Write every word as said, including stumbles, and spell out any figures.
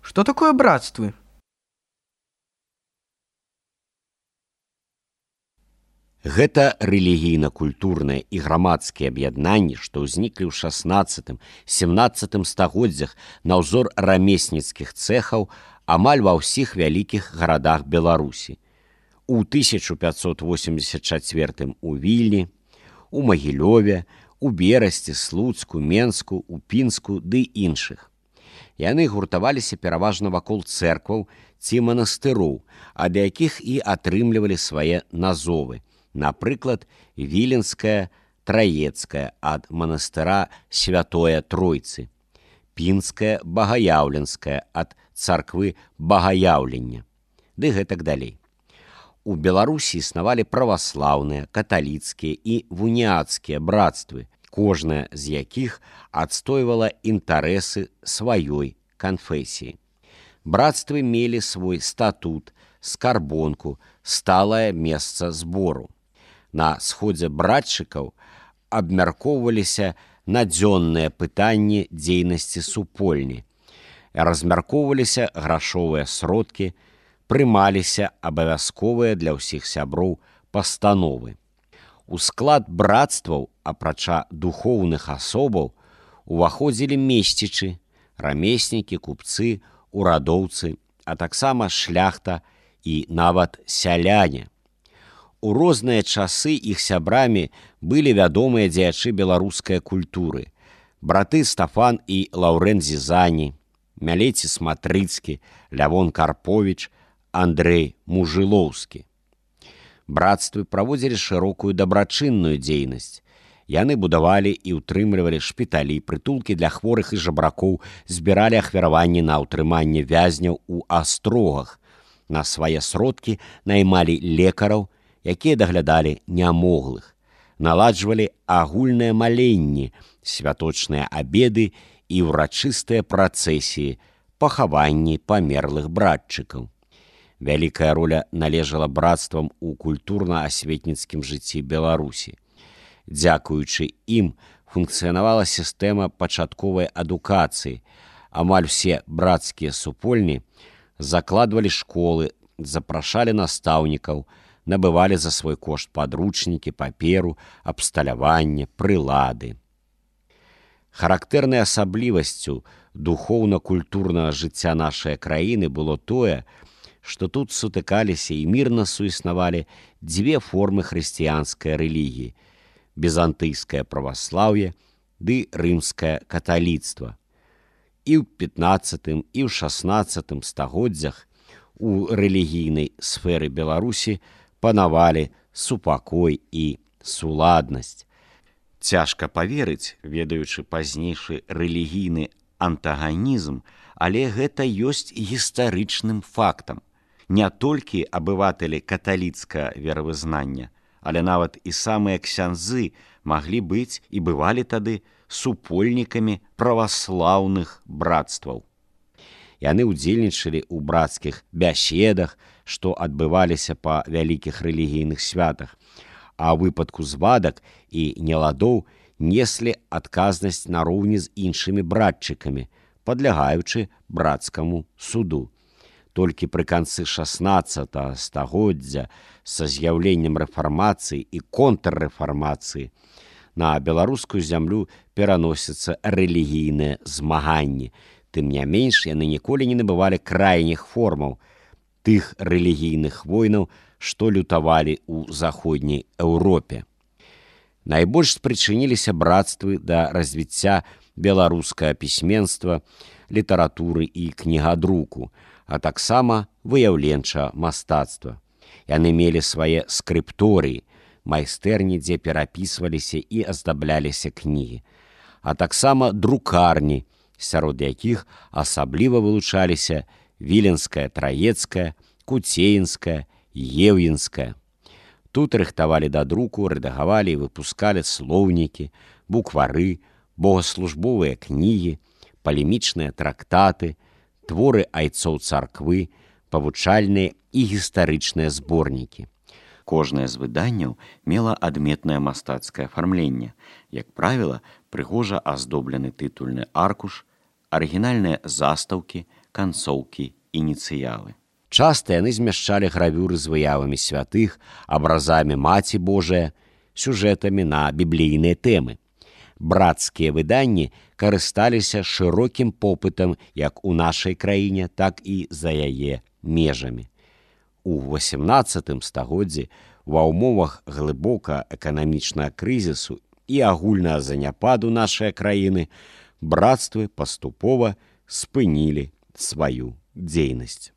Что такое братствы? Гэта рэлігійна-культурныя і грамадскія аб'яднанні, што ўзніклі ў шаснаццатым-сямнаццатым стагоддзях на ўзор рамесніцкіх цэхаў амаль ва ўсіх вялікіх гарадах Беларусі. У тысяча пятьсот восемьдесят чацвёртым у Вільні, у Магілёве, у Берасці, Слуцку, Менску, у Пінску ды іншых. Яны гуртаваліся пераважна вакол цэркваў ці манастыроў, ад якіх і атрымлівалі свае назовы. Напрыклад, Віленская Траецкая ад манастыра Святое Тройцы, Пінская Багаяўленская ад царквы Багаяўлення, ды гэтак далей. У Беларусі існавалі праваслаўныя, каталіцкія і вуніяцкія братствы, кожная з якіх адстойвала інтарэсы сваёй канфесіі. Братствы мелі свой статут, скарбонку, сталае месца збору. На сходзе братчыкаў абмяркоўваліся надзённыя пытанні дзейнасці супольні, размяркоўваліся грашовыя сродкі, прымаліся абавязковыя для ўсіх сяброў пастановы. У склад братстваў, апрача духоўных асобаў, уваходзілі месцічы, рамеснікі, купцы, урадоўцы, а таксама шляхта і нават сяляне. У розныя часы іх сябрамі былі вядомыя дзеячы беларускай культуры: браты Стафан і Лаўрэнт Зізані, Мялеціс Матрыцкі, Лявон Карповіч, Андрэй Мужылоўскі. Братствы праводзілі шырокую дабрачынную дзейнасць. Яны будавалі і ўтрымлівалі шпіталі, прытулкі для хворых і жабракоў, збіралі ахвяраванні на ўтрыманне вязняў у астрогах. На свае сродкі наймалі лекараў, якія даглядалі нямоглых, наладжвалі агульныя маленні, святочныя абеды і ўрачыстыя працэсіі, пахаванні памерлых братчыкаў. Вялікая роля належала братствам у культурна-асветніцкім жыцці Беларусі. Дзякуючы ім функцыянавала сістэма пачатковай адукацыі. Амаль усе брацкія супольні закладвалі школы, запрашалі настаўнікаў, набывалі за свой кошт падручнікі, паперу, абсталяванне, прылады. Характэрнай асаблівасцю духоўна-культурнага жыцця нашай краіны было тое, што тут сутыкаліся і мірна суіснавалі дзве формы хрысціянскай рэлігіі: візантыйскае праваслаўе ды рымскае каталіцтва. І ў пятнаццатым і ў шаснаццатым стагоддзях у рэлігійнай сферы Беларусі панавалі супакой і суладнасць. Цяжка паверыць, ведаючы пазнейшы рэлігійны антаганізм, але гэта ёсць гістарычным фактам. Не толькі абыватэлі каталіцкага веравызнання, але нават і самыя ксяндзы маглі быць і бывалі тады супольнікамі праваслаўных братстваў. Яны ўдзельнічалі ў брацкіх бяседах, што адбываліся па вялікіх рэлігійных святах, а ў выпадку звадак і неладоў неслі адказнасць нароўні з іншымі братчыкамі, падлягаючы брацкаму суду. Толькі пры канцы шаснаццатага стагоддзя са з'яўленнем рэфармацыі і контррэфармацыі на беларускую зямлю пераносяцца рэлігійныя змаганні. Тым не менш, яны ніколі не набывалі крайніх формаў тых рэлігійных войнаў, што лютавалі ў заходняй Еўропе. Найбольш спрычыніліся братствы да развіцця беларускага пісьменства, літаратуры і кнігадруку, а таксама выяўленчага мастацтва. Яны мелі свае скрыпторыі, майстэрні, дзе перапісваліся і аздабляліся кнігі, а таксама друкарні, сярод якіх асабліва вылучаліся Віленская Траецкая, Куцеінская, Еўенская. Тут рыхтавалі да друку, рэдагавалі і выпускалі слоўнікі, буквары, богаслужбовыя кнігі, палемічныя трактаты, творы айцоў царквы, павучальныя і гістарычныя зборнікі. Кожнае з выданняў мела адметнае мастацкае афармленне, як правіла, прыгожа аздоблены тытульны аркуш, арыгінальныя застаўкі, канцоўкі, ініцыялы. Часта яны змяшчалі гравюры з выявамі святых, абразамі Маці Божыя, сюжэтамі на біблійныя тэмы. Брацкія выданні карысталіся шырокім попытам як у нашай краіне, так і за яе межамі. У васямнаццатым стагоддзі ва ўмовах глыбока эканамічнага крызісу і агульнага заняпаду нашай краіны брацтвы паступова спынілі сваю дзейнасць.